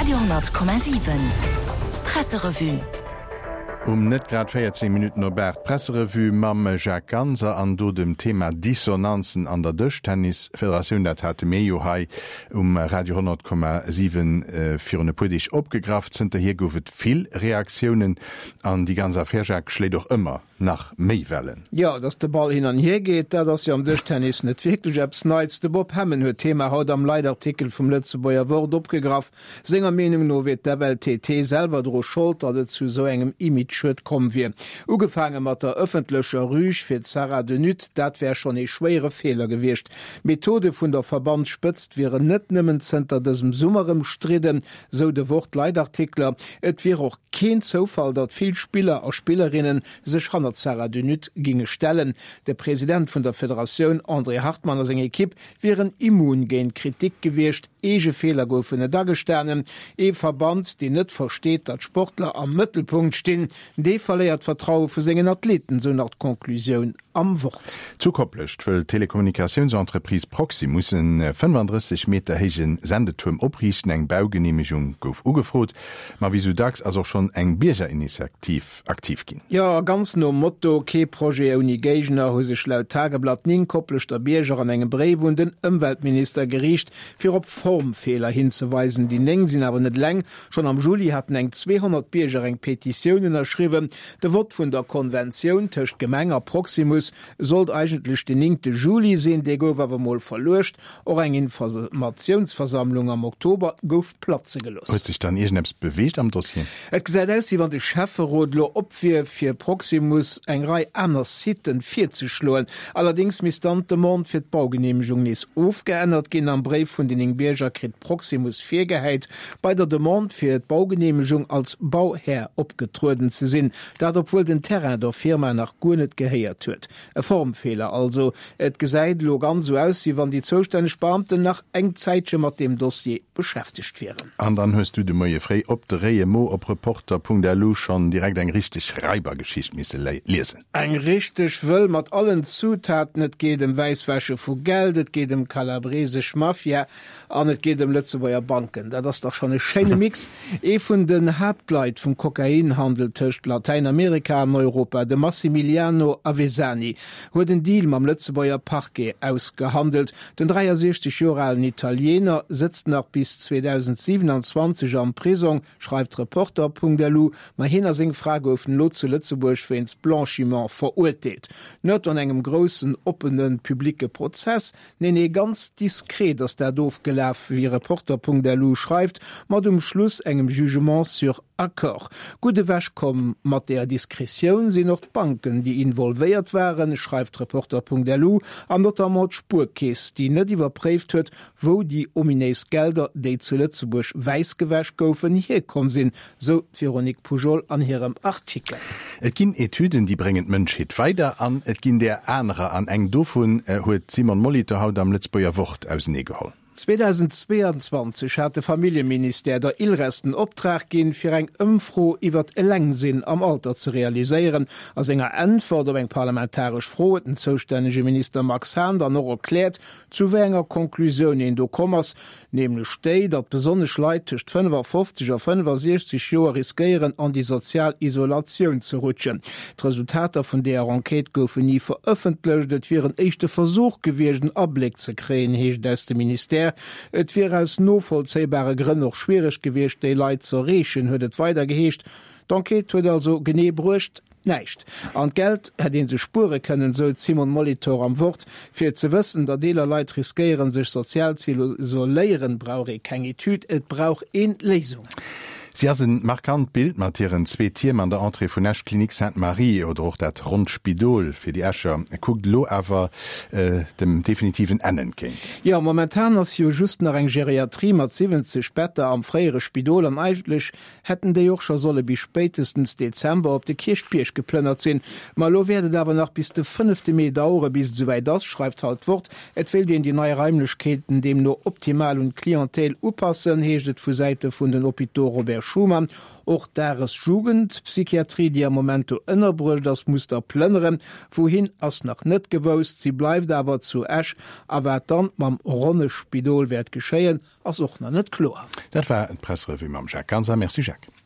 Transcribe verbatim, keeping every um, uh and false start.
Radio honnert Komma siwen Presserevue. Um net grad véierzéng Minutten op aacht d'Presserevue mam Jacques Ganser an do dem Thema Dissonanzen an der Dëschtennisfederatioun. Dat hate mir jo hei um Radio honnert Komma siwen virun e puer Deeg opgegraff. Zënterhier gouf et vill Reaktiounen an déi ganz Affär, Jacques, schléit och ëmmer nach méi Wellen. Jo, datt de Ball hin an hier geet, dat ass jo am Dëschtennis net wierklech eppes Neits. De Bob Hemmen huet d'Thema haut am Leitartikel vum Lëtzebuerger Wort opgegraff. Senger Meenung no wier d'F L T T selwer dru Schold, datt et zu esou engem Imageschued komm wier. Ugefaange mat der ëffentlecher Rüg fir d'Sarah de Nutte, dat wär schonn ee schwéiere Feeler gewiescht. D'Methode vun der Verbandsspëtzt wieren net nëmmen zënter dësem Summer ëmstridden, sou de Wort-Leitartikler. Et wier och keen Zoufall, datt vill Spiller a Spillerinne sech hannert d'Sarah de Nutte ginge stellen. De President vun der Federatioun André Hartmann a seng Ekipp wieren immun géint Kritik gewiescht. Eege Feeler goufen net agestanen. Ee Verband, deen net versteet, datt Sportler am Mëttelpunkt stinn, dee verléiert d'Vertraue vu sengen Athleten, sou nach d'Conclusioun am Wort. Zu Koplescht wëll d'Telekommunikatiounsentreprise Proximus e fënnefanddrësseg Meter héije Sendetuerm opriichten. Eng Baugeneemegung gouf ugefrot, ma wéi sou dacks ass och schonn eng Biergerinitiativ aktiv ginn. Jo, ganz nom Motto Kee Projet ouni Géigner hu sech laut Tageblatt néng Kopleschter Bierger an engem Bréif un den Ëmweltminister geriicht, fir op Formfeeler hinzeweisen. Déi néng sinn awer net eleng. Schonn am Juli haten eng zweehonnert Bierger eng Petitioun ënnerschriwwen. De Vott vun der Konventioun tëscht Gemeng a Proximus sollt eigentlech den néngte Juli sinn, dee gouf awer mol verluecht. Och eng Informatiounsversammlung am Oktober gouf platze gelooss. Huet sech dann iergendeppes beweegt am Dossier? Et gesäit aus, wéi wann de Schäfferot elo op wier, fir Proximus eng Rei aner Siten virzeschloen. Allerdéngs misst dann d'Demande fir d'Baugeneemegung nees ofgeännert ginn. Am Bréif vun den néng Bierger kritt Proximus virgehäit, bei der Demande fir d'Baugeneemegung als Bauhär opgetrueden ze sinn. Dat obwuel den Terrain der Firma nach guer net gehéiert huet. E Formfeeler also. Et gesäit elo ganz esou aus, wéi wann déi zoustänneg Beamten nach eng Zäitche mat deem Dossier beschäftegt wieren. An dann hues du de Moie fréi op de réie Mo op Reporter Punkt L U schonn direkt eng richteg Raibergeschicht misse liesen. Eng richteg wëll mat allen Zutaten, et geet ëm Wäisswäsche vu Geld, et geet ëm kalabresesch Mafia an et geet ëm Lëtzebuerger Banken. Dat ass dach schonn e schéine Mix. Ee vun den Haaptleit vum Kokainhandel tëscht Latäinamerika an Europa, de Massimiliano Avesani, huet en Deal mam Lëtzebuerger Parquet ausgehandelt. Den dräiasiechzeg Joer alen Italiener sëtzt nach bis zweedausendsiwenanzwanzeg am Prisong, schreift Reporter Punkt L U, ma hien a seng Fra goufen elo zu Lëtzebuerg wéinst Blanchiment verurteelt. Net an engem groussen oppene publique Prozess, nee nee, ganz diskret ass dat ofgelaf, wéi Reporter Punkt L U schreift, mat um Schluss engem Jugement sur accord. Gutt ewech komm mat der Diskretioun sinn och d'Banken, déi involvéiert waren, schreift Reporter Punkt L U, an notamment d'Spuerkeess, déi net iwwerpréift huet, wou déi ominéis Gelder, déi zu Lëtzebuerg wäissgewäsch goufen, hierkomm sinn, sou d'Véronique Poujol an hirem Artikel. Et ginn Etüden, déi bréngen d'Mënschheet weider, an et ginn där anerer. An eng dovun huet d'Simone Molitor haut am Lëtzebuerger Wort auseneegeholl. zweedausendzweeanzwanzeg hat de Familljeministère der ILRES den Optrag ginn, fir eng Ëmfro iwwer Elengsinn am Alter ze realiséieren. A senger Äntwert op eng parlamentaresch Fro huet den zoustännege Minister Max Hahn dann och erkläert, zu wéi enger Konklusioun een do komm ass, nämlech déi, datt besonnesch Leit tëscht fënnefafofzeg a fënnefasiechzeg Joer riskéieren, an déi sozial Isolatioun ze rutschen. D'Resultater vun deeër Enquête goufen ni verëffentlecht. Et wier en éischte Versuch gewiescht, en Abléck ze kréien, heescht et aus dem Ministère. Et wier aus novollzéibare Grënn och schwiereg gewiescht, déi Leit ze erreechen, huet et weider geheescht. D'Enquête huet also genee bruecht, näischt. An d'Geld hätt ee sech spuere kënnen, sou d'Simone Molitor am Wort. Fir ze wëssen, datt eeler Leit riskéieren, sech sozial ze isoléieren, brauch ee keng Etüd, et brauch ee Léisungen. Si ass en markant Bild mat hiren zwee Tierm an der Entrée vun Esch, Clinique Sainte-Marie oder och dat ronnt Spidol fir déi Escher, kuckt elo awer dem definitiven Enn entgéint. Jo, momentan ass jo just nach eng Geriatrie mat siwwenzeg Better am fréiere Spidol an eigentlech hätten déi och scho solle bis spéitestens Dezember op de Kierchbierg geplënnert sinn. Ma elo wäert et awer nach bis de fënnefte Mee dauere bis et esouwäit ass, schreift haut d'Wort. Et wéilt een déi nei Raimlechkeeten deemno optimal un d'Clientèle upassen, heescht et vu Säite vun den Hôpitaux Robert Schuman. Och d'Dagesjugendpsychiatrie, déi am Moment do ënnerbruecht ass, muss da plënneren. Wouhin ass nach net gewousst. Si bleift awer zu Esch. A wat dann mam ronne Spidol wäert geschéien, ass och nach net kloer. Dat war d'Presserevue mam Jacques Ganser. Merci Jacques.